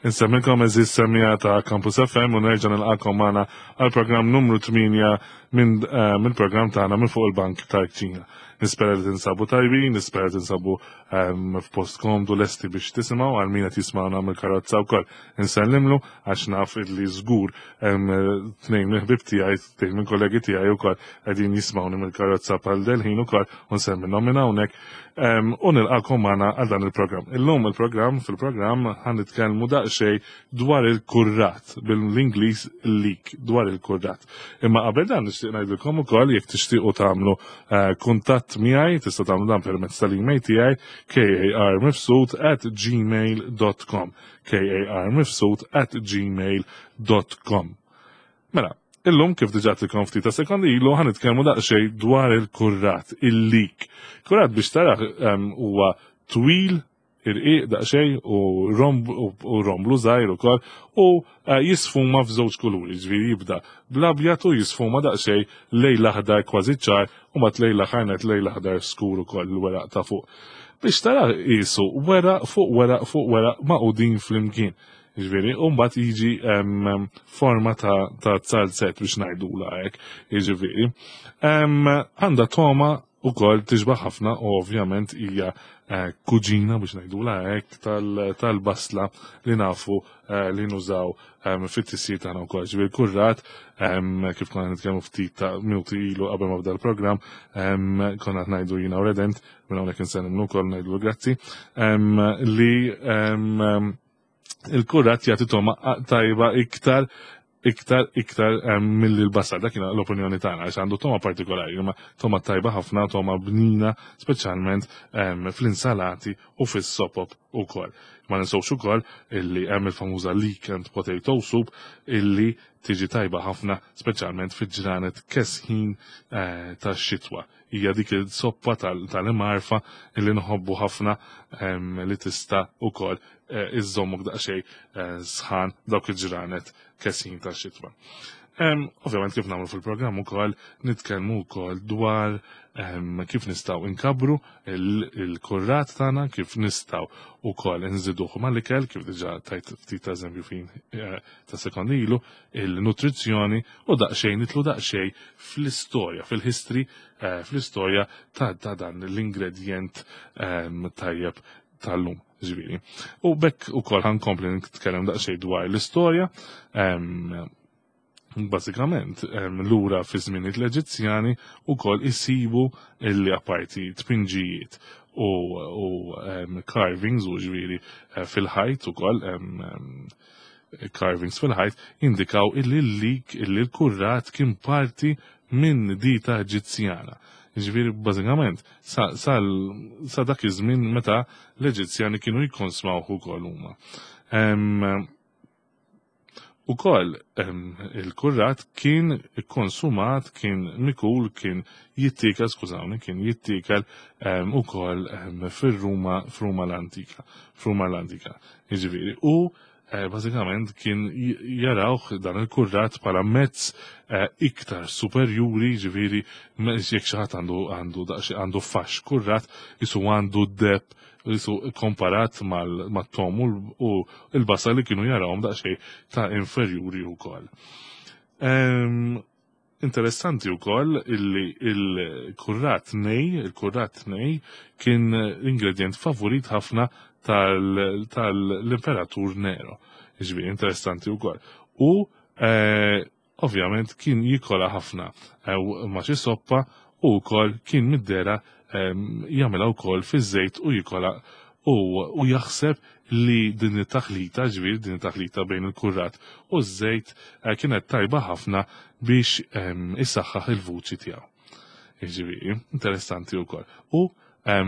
Insemmilkom eżis semija ta' Campus FM u nerġa' nilqakom magħna għal programm numru 8 minn eh, mill-programm tagħna minn fuq il-Bank tal-Kċina. Nispera li tinsabu tajbin, nispera li tinsabu ehm, f'post komdu lesti biex tisimgħu għal min qed jismagħna mill-karozza wkoll. Insellimlu għax naf li żgur ehm, tnejn mill-ħbib tiegħi, tnejn minn kollegi tiegħi wkoll qegħdin jismgħuni mill-karozza bħal delħin ukoll u nsemmilhom minn hawnhekk U nilqakom magħna għal dan il-programm. Illum il-programm fil-programm ħan nitkellmu daqsxejn dwar il-kurrat bil-Ingliż leak dwar il-kurrat. Imma qabel dan nixtieq ngħidilkom ukoll jekk tixtiequ tagħmlu eh, kuntatt miegħi tista' tagħmlu dan permezz tal-email tiegħi karmifsud at gmail.com karmifsud at gmail.com Mela, illum kif diġà tilkom ftit ta' sekondi ilu ħan nitkellmu daqsxejn dwar il-kurrat, il-lik. Kurrat biex taraħ huwa twil, irqiq daqsxejn u romblu żgħir ukoll u eh, jisfuma f'żewġ kuluri, ġifieri jibda bl-abjad u jisfuma daqsxejn lejn l-aħdar kważi ċar u mat lejn l-aħħar lejn l-aħdar skur ukoll il-weraq ta' fuq. Biex tara qisu weraq fuq weraq fuq weraq maqudin flimkien. Ġifieri, u mbagħad jiġi forma ta' ta' zalzett biex ngħidula hekk, jiġifieri. Għandha toma wkoll tixbaħ ħafna u ovvjament hija eh, kuġina biex ngħidula hekk tal-basla li nafu eh, li nużaw fit-tisjir tagħna wkoll. Ġifieri kurrat kif konna nitkellmu ftit ta' minuti ilu qabel ma bda l-programm, konna qed ngħidu jiena u Redent, minn hawnhekk insellimlu wkoll ngħidlu grazzi, li il-kurat jagħti toma tajba iktar iktar iktar milli l-basal. Dak l-opinjoni tagħna għax għandu toma partikolari, imma toma tajba ħafna, toma bnina, speċjalment fl-insalati u fis-sopop ukoll. Ma ninsewx ukoll illi hemm il-famuża leek and potato soup illi tiġi tajba ħafna, speċjalment fi ġranet kesħin eh, tax-xitwa. Hija dik il-soppa tal-imarfa illi nħobbu ħafna li tista' ukoll eh, iżżommok daqsxejn eh, sħan dawk il-ġranet kesħin tax-xitwa. Ovvjament kif nagħmlu fil-programm ukoll nitkellmu wkoll dwar kif nistgħu inkabru il-kurrat tagħna, kif nistgħu wkoll inżiduh mal-ikel, kif diġà tajt ftit eżempju fin eh, ta' sekondi ilu, il-nutrizzjoni u daqsxejn nitlu daqsxejn fl-istorja, fil-history, eh, fl-istorja ta' dan l-ingredjent tajjeb tal-lum. Ġifieri. U bekk ukoll ħankompli nitkellem daqsxejn dwar l-istorja. Bażikament, lura fi żminijiet l-Eġizzjani ukoll isibu illi apparti tpinġijiet u, u carvings u ġifieri eh, fil-ħajt ukoll carvings fil-ħajt indikaw illi l-lik illi l-kurrat kien parti minn dita Eġizzjana. Ġifieri bażikament sa, sa, sa dak iż-żmien meta l-Eġizzjani kienu jikkonsmawh ukoll huma. Ukoll il-kurrat kien ikkonsumat, kien mikul, kien jittiekel, skużawni, kien jittiekel ukoll fir-Ruma, f'Ruma l-antika, f'Ruma l-antika. Jiġifieri, u eh, bażikament kien jarawh dan il-kurrat bħala mezz eh, iktar superjuri, ġifieri jekk xi ħadd għandu għandu għandu fax kurrat, isu għandu deb jisu komparat mal-tom u l-basal li kienu jarawhom daqsxejn ta' inferjuri wkoll. Interessanti wkoll illi il-kurrat nej, il-kurrat nej kien ingredient favorit ħafna tal-imperatur Nero. Ġifieri interessanti wkoll. U eh, ovvjament kien jikola ħafna eh, ma' xi soppa u wkoll kien middera jagħmilha wkoll fiż-żejt u jikola u, u jaħseb li din it-taħlita, ġifieri din it-taħlita bejn il-kurrat u ż-żejt eh, kienet tajba ħafna biex isaħħaħ il-vuċi tiegħu. Ġifieri, interessanti wkoll. U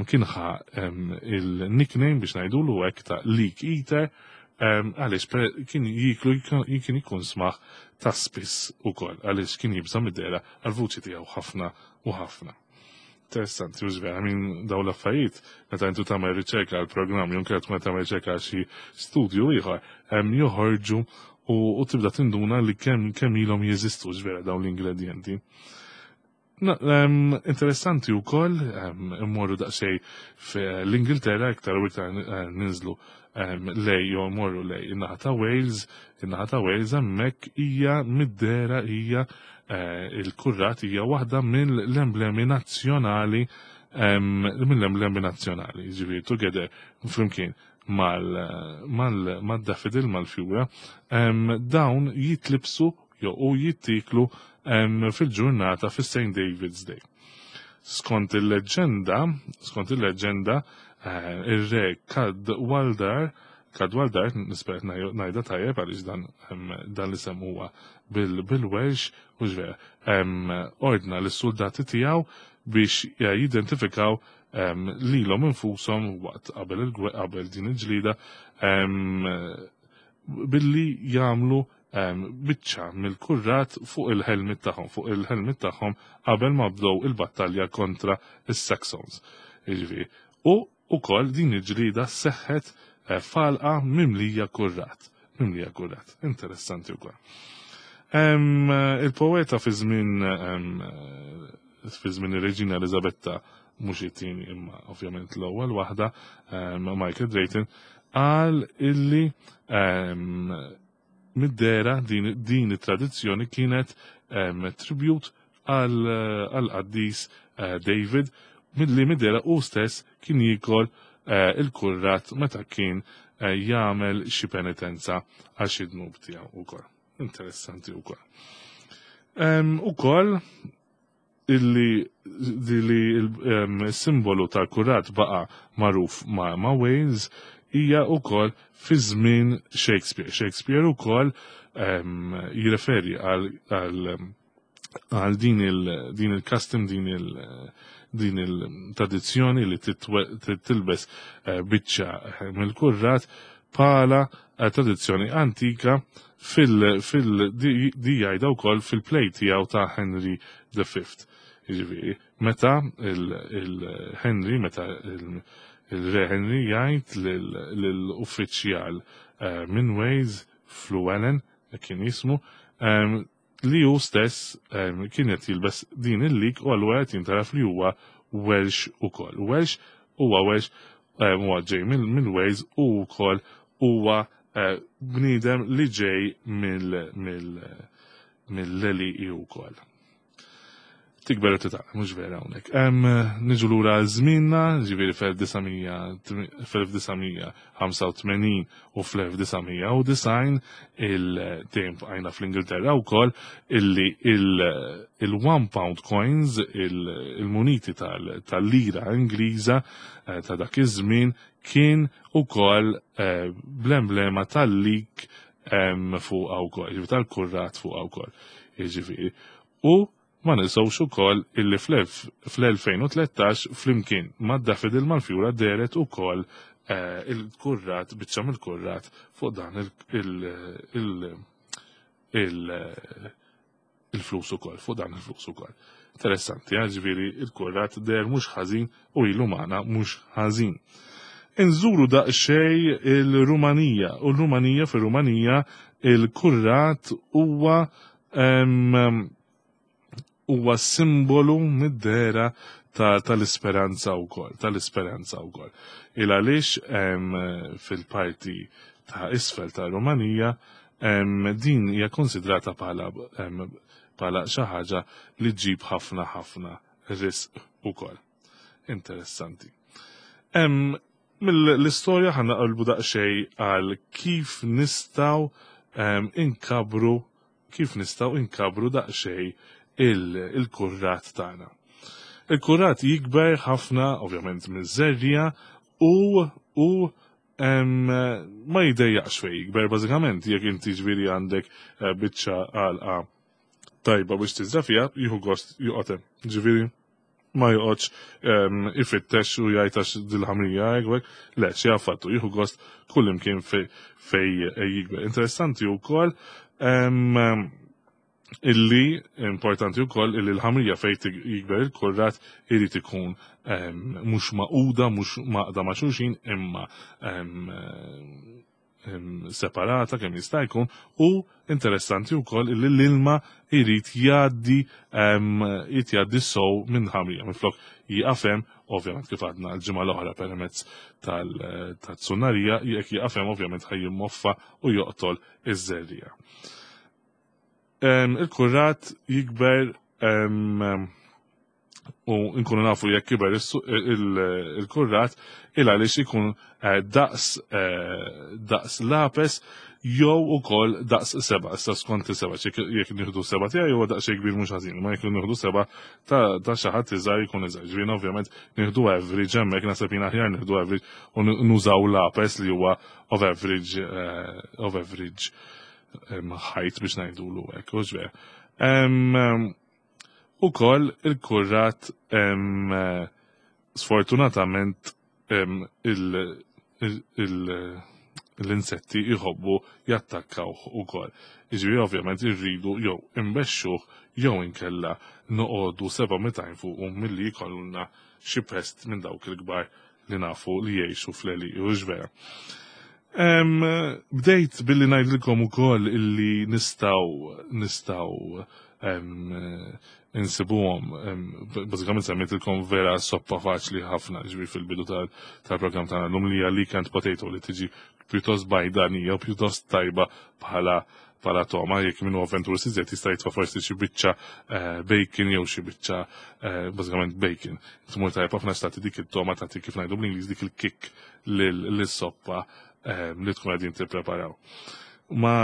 kien ħa il-nickname biex ngħidulu hekk ta' Leek Eater għaliex kien jiklu kien ikun smaħ ta' spiss ukoll għaliex kien jibża' mid-dehra għal-vuċi tiegħu ħafna u ħafna. Interessanti, u vera, minn daw l-affarijiet, meta intu tagħmel riċerka għal programm jew kienet meta tagħmel riċerka għal xi studju ieħor, hemm joħorġu u tibda tinduna li kemm kemm ilhom jeżistu ġvera dawn l-ingredjenti. Interessanti wkoll immorru daqsxejn fl-Ingilterra iktar u iktar eh, ninżlu lej jew morru lej in-naħa ta' Wales, in-naħa ta' Wales hemmhekk hija mid-dera hija eh, il-kurrat hija waħda mill-emblemi nazzjonali mill-emblemi nazzjonali, ġifieri together flimkien mal-daffodil mal-fjura, dawn jitlibsu jew u jittiklu fil-ġurnata fis-St. David's Day. Skont il-leġġenda, skont il-leġġenda, eh, ir-re Cadwaldar, Cadwaldar, nispera ngħidha tajjeb għaliex dan dan l-isem huwa bil-Welsh, mhux vera, ordna lis-soldati tiegħu biex eh, jidentifikaw lilhom infushom waqt qabel qabel din il-ġlida billi jagħmlu biċċa mill-kurrat fuq il-helmet tagħhom, fuq il-helmet tagħhom qabel ma bdew il-battalja kontra is-Saxons. Jiġifieri, u ukoll din il-ġlida seħħet eh, falqa mimlija kurrat. Mimlija kurrat. Interessanti wkoll. Il-poeta fi żmien fi żmien ir-Reġina Elizabetta mhux it-tieni imma ovvjament l-ewwel waħda, Michael Drayton, qal illi mid-dera din, din it-tradizzjoni kienet tribut għal qaddis eh, David milli mid-dera u stess kien jikol eh, il-kurrat meta kien eh, jagħmel xi penitenza għal xi dnub tiegħu ukoll. Interessanti wkoll. Ukoll illi li il-simbolu tal-kurat baqa magħruf ma', ma Wales hija wkoll fi żmien Shakespeare. Shakespeare ukoll jirreferi għal għal din il din il-custom din il din il-tradizzjoni li tilbes eh, biċċa eh, mill-kurrat bħala eh, tradizzjoni antika fil fil di jgħidha wkoll fil-play tiegħu ta' Henry V. Jiġifieri, meta il-Henry, meta il-Re Henry jgħid lill-uffiċjal eh, minn Wales, Fluellen, kien jismu, ehm, li hu stess ehm, kien qed jilbes din il-lik u allura qed jintaraf li huwa Welsh ukoll. Welsh huwa Welsh ehm, huwa ġej mill-Wales u wkoll huwa eh, bniedem li ġej mill-leli wkoll. Tikber u titgħallem, mhux vera hawnhekk. Niġu lura żmienna, ġifieri fl-1985 u fl-1990 il-dejjem bqajna fl-Ingilterra wkoll illi il-one pound coins, il-muniti tal-lira Ingliża eh, ta' dak iż-żmien kien ukoll eh, bl-emblema tal-lik fuqha wkoll, ġifieri tal-kurrat fuqha wkoll. Jiġifieri. U ma ninsewx ukoll illi fl-2013 flimkien mad-daffodil mal-fjura dehret ukoll eh, il-kurrat, biċċa mill-kurrat fuq dan il-flus ukoll, fuq dan il-flus ukoll. Interessanti, eh, ġifieri il-kurrat deher mhux ħażin u ilu magħna mhux ħażin. Inżuru daqsxejn il-Rumanija u l-Rumanija fir-Rumanija il-kurrat huwa huwa simbolu mid-dehra tal-isperanza wkoll, tal-isperanza wkoll. Il għaliex fil-parti ta' isfel ta' Rumanija din hija konsidrata bħala bħala xi ħaġa li ġġib ħafna ħafna risq ukoll. Interessanti. Mill-istorja ħa naqilbu daqsxejn għal kif nistgħu inkabru kif nistgħu inkabru daqsxejn il-kurrat tagħna. Il-kurrat jikber ħafna, ovvjament, miż-żerriegħa u u ma jdejjaqx fej jikber bażikament jekk inti ġifieri għandek eh, biċċa għalqa tajba biex tiżra fiha, jieħu gost joqgħod hemm. Ġifieri ma joqgħodx ifittex u jgħid għax dil-ħamrija hekk, le xi affattu jieħu gost kull imkien fej jikber. Interessanti wkoll illi importanti wkoll illi l-ħamrija fejn jikber il-kurrat irid ikun mhux maquda, mhux maqda ma' xulxin, imma separata kemm jista' jkun u interessanti wkoll li l-ilma jrid jgħaddi jrid jgħaddi sow minn ħamrija minflok jieqaf hemm ovvjament kif għadna l-ġimgħa l-oħra permezz tal-tsunnarija jekk jieqaf hemm ovvjament ħaj jimmoffa u joqtol iż-żerriegħa. Il-kurrat jikber u nkunu nafu jekk kiber il-kurrat il għaliex ikun eh, daqs eh, daqs lapes jew ukoll daqs seba, issa skont seba, jekk nieħdu seba tiegħi huwa daqs kbir mhux ħażin, ma jekk nieħdu seba ta' xi ħadd iżgħar jkun iżgħar. Ġifieri ovvjament nieħdu average hemmhekk naħseb jien aħjar nieħdu average u nużaw lapes li huwa of average eh, of average ħajt biex ngħidulu hekk, u ġver. Ukoll il-kurrat sfortunatament l-insetti jħobbu jattakkawh ukoll. Jiġifieri ovvjament irridu jew imbexxuh jew inkella noqogħdu seba' mitajn fuqu milli jkollna xi pest minn dawk il-kbar li nafu li jgħixu fl-għelieqi, hux vera? Bdejt billi ngħidilkom ukoll illi nistgħu nistgħu insibuhom bażikament semmejtilkom vera soppa faċli ħafna ġifieri fil-bidu tal-programm tagħna llum li hija leek and potato li tiġi pjuttost bajdanija u pjuttost tajba bħala bħala toma, jekk minnu avventur iżjed jista' jitfa' forsi xi biċċa eh, bacon jew xi biċċa eh, bażikament bacon. Tmur tajjeb ħafna stati dik it-toma tagħti kif ngħidu bl-Ingliż dik il-kick lis-soppa eh, li tkun qegħdin tippreparaw. Ma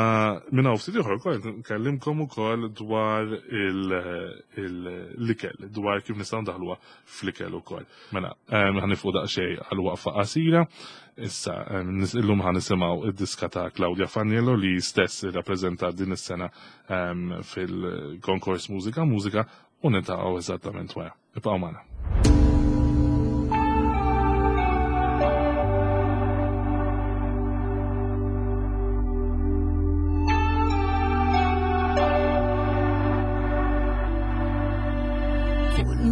minn hawn ftit ieħor ukoll nkellimkom ukoll dwar l-ikel, dwar kif nistgħu ndaħluha fl-ikel ukoll. Mela, ħanifu daqsxejn għal waqfa qasira. Issa, illum ħa nisimgħu id-diska ta' Claudia Faniello li stess irrappreżentat din is-sena fil-konkors Mużika Mużika u niltaqgħu eżattament wara. Ibqgħu magħna.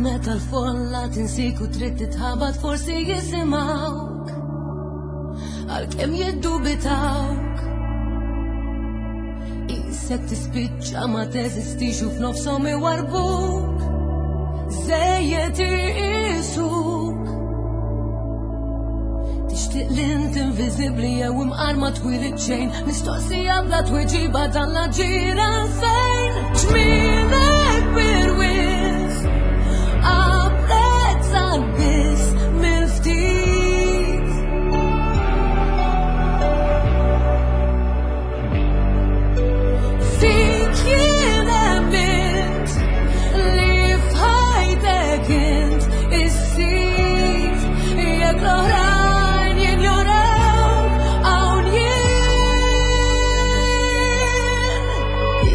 Meta l-folla tinsik u trid titħabat forsi jisimgħuk għalkemm jiddubitawk. Isek tispiċċa ma teżistix u f'nofshom iwarbuk. Żejjed iqisuk. Tixtieq li int inviżibbli jew imqar ma twilid xejn, mistoqsija bla tweġiba dan l-aġir għalfejn. Ġmielek birwies, apprezzat biss mill-ftit. Fik jien emmint li f'ħajtek int is-sid jekk l-oħrajn jinjorawk hawn jien.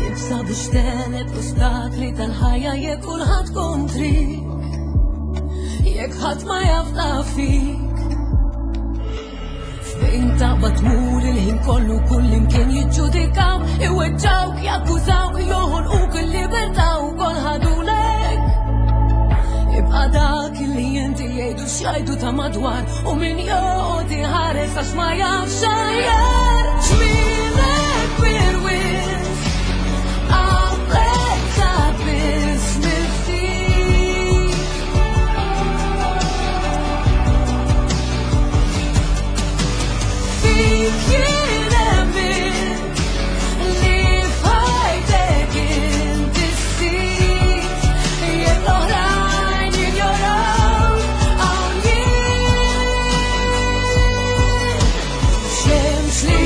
Ibsa biex tegħleb l-ostakli tal-ħajja jekk kulħadd kontrik, jekk ħadd ma jafda fik. Fejn taqbad tmur il-ħin kollu kull imkien jiġġudikaw, iweġġawk, jakkużawk, joħolquk il-libertà u kol ħadulek. Ibqa' dak li inti jgħidu x'jgħidu ta' madwar u min joqgħod iħares għax ma jafx aħjar. Ġmielek birwies, apprezzat biss mill-ftit. Fik jien emmint li f'ħajtek int is-sid, jekk l-oħrajn jinjoraw hawn jien. Xemx li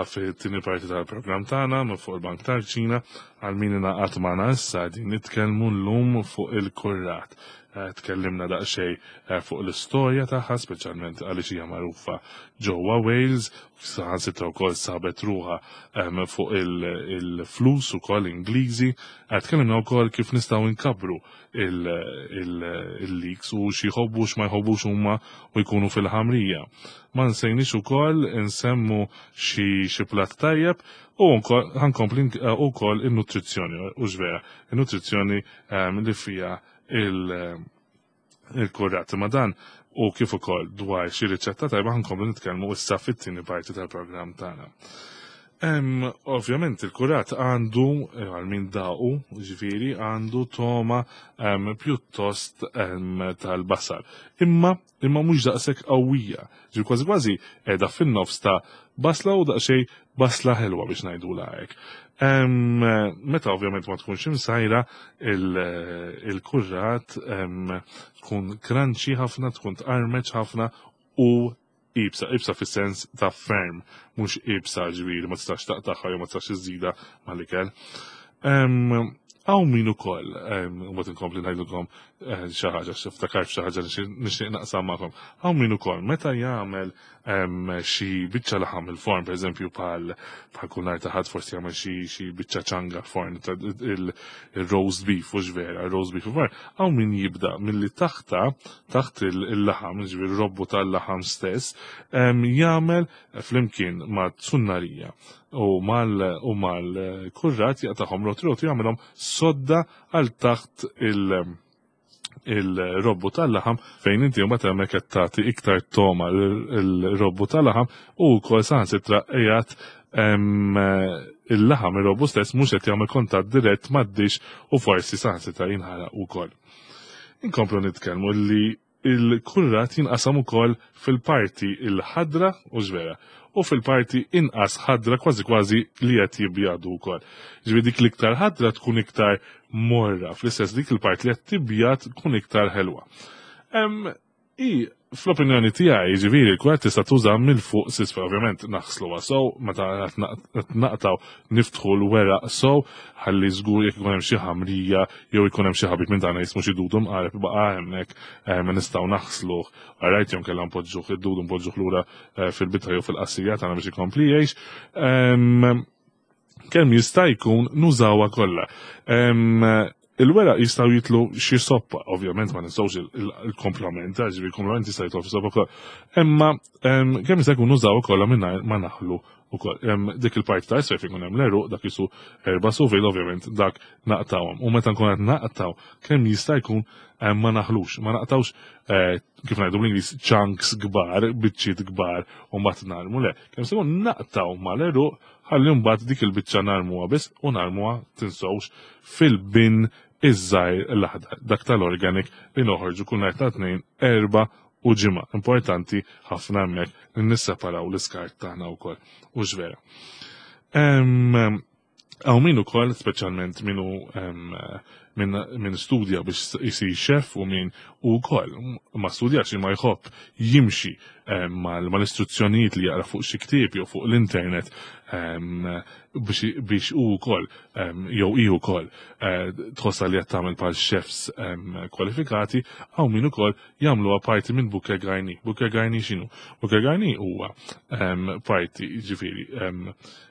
fit-tieni parti tal-programm tagħna minn fuq il-Bank tal-Ċina għal min ingħaqad magħna issa din nitkellmu llum fuq il-kurrat. Eh, tkellimna daqsxejn eh, fuq l-istorja tagħha, speċjalment għaliex hija magħrufa ġewwa Wales, saħansitra wkoll sabet ruħha ehm, fuq il-flus ukoll Ingliżi. Eh, tkellimna wkoll kif nistgħu nkabbru il-leaks u xi jħobbu x'ma jħobbux huma u jkunu fil-ħamrija. Ma nsejniex ukoll insemmu xi platt tajjeb u ħankompli wkoll in-nutrizzjoni u x'vera, in-nutrizzjoni ehm, li fija il-kurrat. Ma dan u kif ukoll dwar xi riċetta tajba ħankomplu nitkellmu issa fit-tieni parti tal-programm tagħna. Ovvjament il-kurat għandu, eh, għal min daqu, ġifieri, għandu toma pjuttost tal-basal. Imma, imma mhux daqshekk qawwija. Ġi kważi kważi qiegħda fin-nofs ta' basla u daqsxejn basla ħelwa biex ngħidulha hekk. Meta ovvjament ma tkunx imsajra il-kurrat tkun crunchy ħafna, tkun tqarmeċ ħafna u ibsa, ibsa fis-sens ta' ferm, mhux ibsa ġifieri ma tistax taqtagħha jew ma tistax iżżida mal-ikel. Hawn min ukoll, u mbagħad inkompli ngħidilkom eh, xi ħaġa, x'iftakar xi ħaġa nixtieq naqsam magħkom. Hawn min ukoll meta jagħmel xi biċċa laħam il-forn, pereżempju bħal bħal kull nhar ta' ħadd forsi jagħmel xi biċċa ċanga l-forn, il-roast beef u vera, il-roast beef u hawn min jibda milli taħta taħt il-laħam, ġifieri robbu tal-laħam stess, jagħmel flimkien ma' tsunnarija u mal-kurrat jaqtagħhom roti roti jagħmilhom sodda għal taħt il- il-robbu tal-laħam fejn inti mbagħad hemmhekk qed tagħti iktar toma l-robbu tal-laħam u wkoll saħansitra qiegħed il-laħam ir-robbu stess mhux qed jagħmel kontatt dirett mad-dix u forsi saħansitra jinħaraq ukoll. Inkomplu nitkellmu li il-kurrat jinqasam ukoll fil-parti il-ħadra u ġvera u fil-parti inqas ħadra kważi kważi li qed jibjadu wkoll. Ġifieri dik l-iktar ħadra tkun iktar morra, fl-istess dik il-parti li qed tibjad tkun iktar ħelwa. I fl-opinjoni tiegħi, ġifieri l-kwart tista' tuża mill fuq s'isfel, ovvjament naħsluha sew, meta qed naqtaw niftħu l-weraq sew, ħalli żgur jekk ikun hemm xi ħamrija jew ikun hemm xi ħabib minn tagħna jismu xi dudu mqareb baqa' hemmhekk eh, ma nistgħu naħsluh. Alright jew kellha npoġġuh id-dudu npoġġuh lura eh, fil-bitħa jew fil-qassija tagħna biex ikompli jgħix. Kemm jista' jkun nużawha kollha. Il-weraq jistgħu jitlu xi soppa, ovvjament ma nistgħux il-komplement, ġifieri il-komplement jista' jitlu fis-soppa kollha. Imma kemm jista' jkun nużawha kollha mingħajr ma naħlu ukoll. Dik il-parti ta' isfel fejn ikun hemm l-għeruq dak isu erba' sufil ovvjament dak naqtawhom. U meta nkun qed naqtaw kemm jista' jkun ma naħlux, ma naqtawx eh, kif ngħidu bl-Ingliż chunks kbar, biċċiet kbar u mbagħad narmu le. Kemm se naqtaw mal-għeruq Ħalli mbagħad dik il-biċċa narmuha biss u narmuha tinsewx fil-bin iż-żgħir l-aħdar, dak tal-organic li noħorġu kull nhar ta' tnejn, erba' u ġimgħa. Importanti ħafna hemmhekk li nisseparaw l-iskart tagħna wkoll. U vera. Hawn min ukoll, speċjalment minu min studja biex jisir xef u min u wkoll ma studjax imma jħobb jimxi mal-istruzzjonijiet li jaqra fuq xi ktieb jew fuq l-internet biex u wkoll jew hi wkoll eh, tħossha li qed tagħmel bħal chefs kwalifikati, hawn min ukoll jagħmluha parti minn bouquet garni. Bouquet garni x'inhu? Bouquet garni huwa parti ġifieri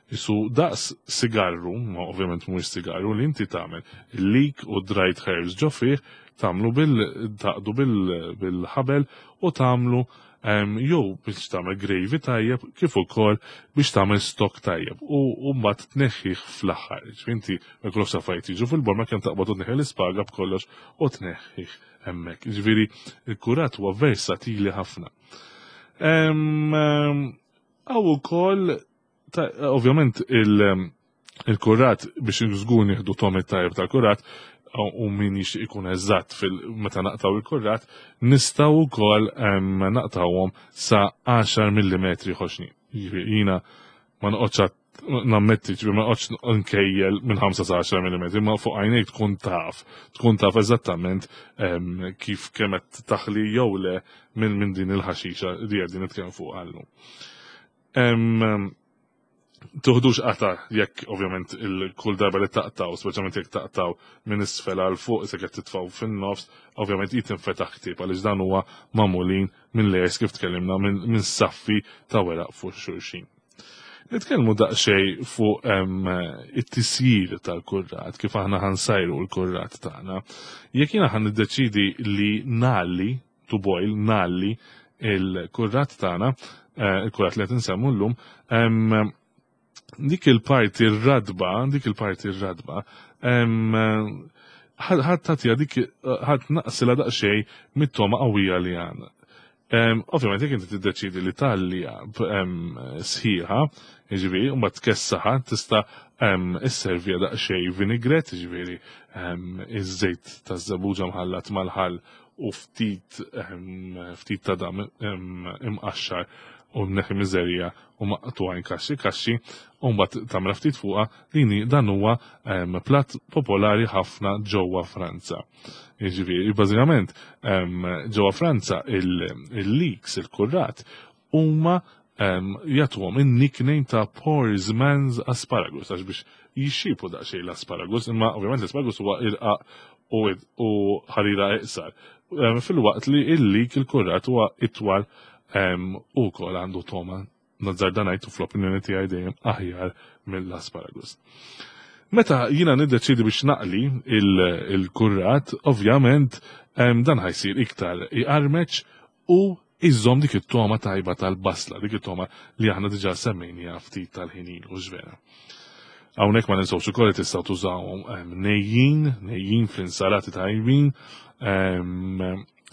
Isu daqs sigarru, ma ovvjament mhuwiex sigarru, li inti tagħmel leek u dried herbs ġo fih, tagħmlu bil taqdu bil-ħabel u tagħmlu jew biex tagħmel gravy tajjeb kif ukoll biex tagħmel stock tajjeb u mbagħad tneħħih fl-aħħar. Inti ma jkollokx affarijiet jiġu fil-borma kemm taqbad u tneħħi l-ispaga b'kollox u tneħħih hemmhekk. Ġifieri il-kurat huwa versatili ħafna. Hawn ukoll Ovvjament il-kurat biex żgur nieħdu tomit tajjeb tal-kurat u min jixtieq ikun eżatt fil-meta naqtaw il-kurat, nistgħu wkoll naqtawhom sa 10 mm ħoxni. Jiena ma noqgħodx nammetti ġifieri ma noqgħodx nkejjel minn 5 sa 10 mm, ma fuq għajnejk tkun taf, tkun taf eżattament kif kemm qed taħli jew le minn din il-ħaxixa li qegħdin nitkellmu fuq għallu. Tuħdux qata jekk ovvjament il-kull darba li taqtaw, speċjalment jekk taqtaw minn isfel għal fuq se qed titfgħu fin-nofs, ovvjament jitinfetaħ ktieb għaliex dan huwa magħmulin minn layers kif tkellimna minn saffi ta' weraq fuq xulxin. Nitkellmu daqsxejn fuq it-tisjir tal-kurrat, kif aħna ħansajru l-kurrat tagħna. Jekk jiena ħan niddeċidi li nalli, to boil, nalli il-kurrat tagħna, il-kurrat li qed insemmu llum, dik il-parti r-radba, dik il-parti r-radba, ħadd tagħtiha dik ħadd naqsilha daqsxejn mit-toma qawwija li għandna. Ovvjament jekk inti tiddeċidi li tgħalliha sħiħa, jiġifieri, u mbagħad tkessaħa, tista' isserviha daqsxejn vinaigrette, jiġifieri iż-żejt taż-żebbuġa mħallat mal-ħall u ftit ftit ta' dam imqaxxar u mneħħi miżerja u maqtugħin kaxxi kaxxi u mbagħad tagħmilha ftit fuqha, din dan huwa platt popolari ħafna ġewwa Franza. Jiġifieri, bażikament ġewwa Franza il-leeks, il-kurrat, huma jagħtuhom in-nickname ta' poor man's asparagus għax biex jixxipu daqsxejn l-asparagus, imma ovvjament l-asparagus huwa irqaq u ħarira iqsar. Filwaqt li il-leek il-kurrat huwa itwal u wkoll għandu toma nazzarda ngħid u fl-opinjoni tiegħi dejjem aħjar mill-asparagus. Meta jiena niddeċidi biex naqli il-kurrat, ovvjament dan ħajsir iktar iqarmeċ u iżżomm dik it-toma tajba tal-basla, dik it-toma li aħna diġà semmejniha ftit tal-ħinin u ġvera. Hawnhekk ma ninsewx ukoll li tistgħu tużawhom nejjin, nejjin fl-insalati tajbin,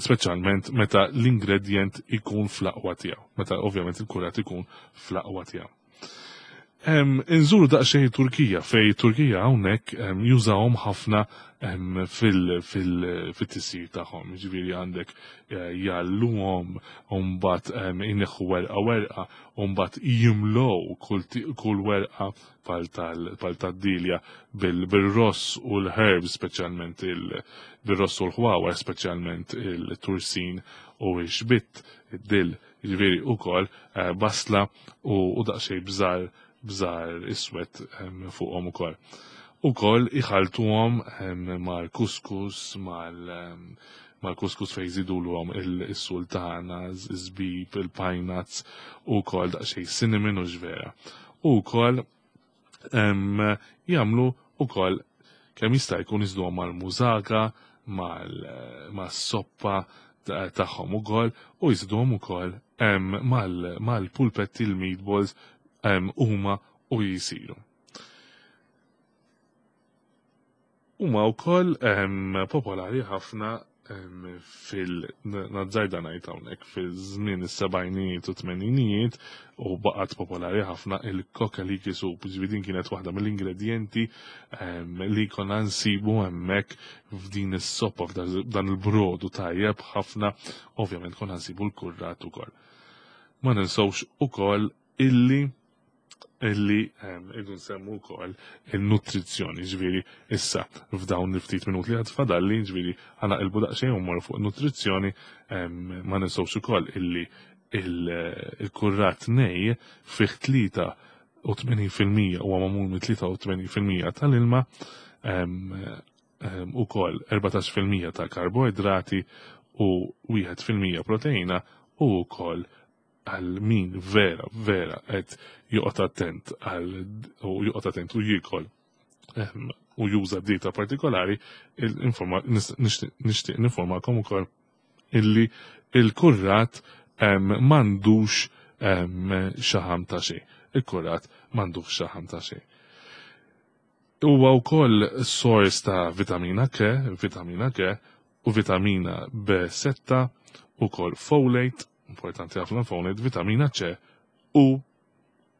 speċjalment meta l-ingredjent ikun fl-aqwa tiegħu, meta ovvjament il-kurat ikun fl-aqwa tiegħu. Inżuru daqsxejn Turkija, fej Turkija hawnhekk jużawhom ħafna fil-tisjir tagħhom. Jiġifieri għandek jgħalluhom u mbagħad ineħħu werqa werqa u mbagħad jimlow kull werqa pal tad-dilja bil-ross u l-herbs speċjalment bil-ross u l-ħwawar speċjalment il-tursin u x-xbitt, id-dill, jiġifieri ukoll basla u daqsxejn bżar bżar iswed fuqhom ukoll. Ukoll iħaltuhom mal-kuskus, mal-kuskus fejn jżidulhom is-sultana, iż-żbib, il-pine nuts u wkoll daqsxejn cinnamon u x'vera. U wkoll jagħmlu ukoll kemm jista' jkun iżduhom mal-mużaka, mas-soppa tagħhom ukoll u jżiduhom ukoll mal-pulpetti l-meatballs huma u jisiru. Huma wkoll popolari ħafna fil-nazzarda ngħid hawnhekk fil-żmien is-sebgħinijiet u tmeninijiet u baqgħet popolari ħafna il-kokaliki soup, ġifieri din kienet waħda mill-ingredjenti li konna nsibu hemmhekk f'din is-soppa f'dan il-brodu tajjeb ħafna, ovvjament konna nsibu l-kurrat ukoll. Ma ninsewx ukoll illi irridu nsemmu wkoll il-nutrizzjoni, ġifieri issa f'dawn il-ftit minuti li għad fadalli, ġifieri ħa naqilbu daqsxejn u mmorru fuq nutrizzjoni, ma ninsewx ukoll illi il-kurrat nej fih 83% huwa magħmul minn 83% tal-ilma, ukoll 14% ta' karboidrati u 1% proteina u wkoll għal min vera, vera qed joqgħod attent għal u joqgħod attent u jiekol u juża dieta partikolari, nixtieq ninformakom ukoll illi il-kurrat m'għandux xaħam ta' xejn. Il-kurrat m'għandux xaħam ta' xejn. Huwa wkoll sors ta' vitamina K, vitamina K u vitamina B6, ukoll folate, importanti ħafna folate, vitamina C u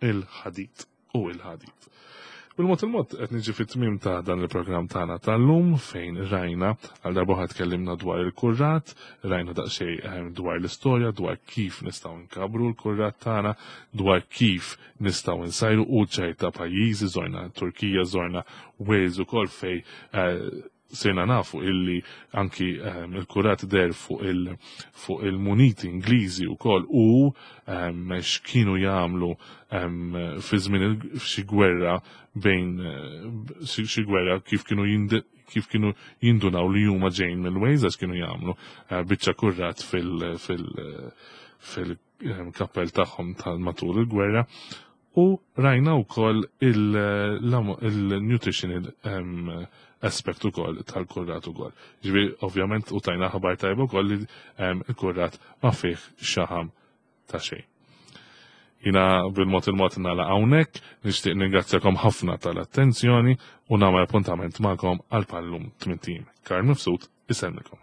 il-ħadid. U il-ħadid. Bil-mod il-mod qed niġi fit-tmiem ta' dan il-programm tagħna tal-lum fejn rajna għal darba oħra tkellimna dwar il-kurrat, rajna daqsxejn dwar l-istorja, dwar kif nistgħu nkabbru l-kurrat tagħna, dwar kif nistgħu nsajru u ċerta pajjiżi, żorna Turkija, żorna Wales ukoll fej sirna nafu illi anki ehm, il-kurat der fuq il fuq il-muniti Ingliżi wkoll u ehm, x'kienu jagħmlu ehm, fi żmien xi gwerra bejn eh, xi gwerra kif kienu kif kienu jindunaw li huma ġejn mill-Wales għax kienu jagħmlu eh, biċċa kurrat fil fil fil kappell tagħhom tal-matul il-gwerra u rajna wkoll il-nutritional aspect ukoll tal-kurrat ukoll. Ġifieri ovvjament u tajna ħabar tajba wkoll li il-kurrat ma fih xaħam ta' xejn. Jina bil-mod il-mod nagħlaq hawnhekk, nixtieq ningrazzjakom ħafna tal-attenzjoni u nagħmel appuntament magħkom għal pallum tmien Karl Mifsud isellmikom.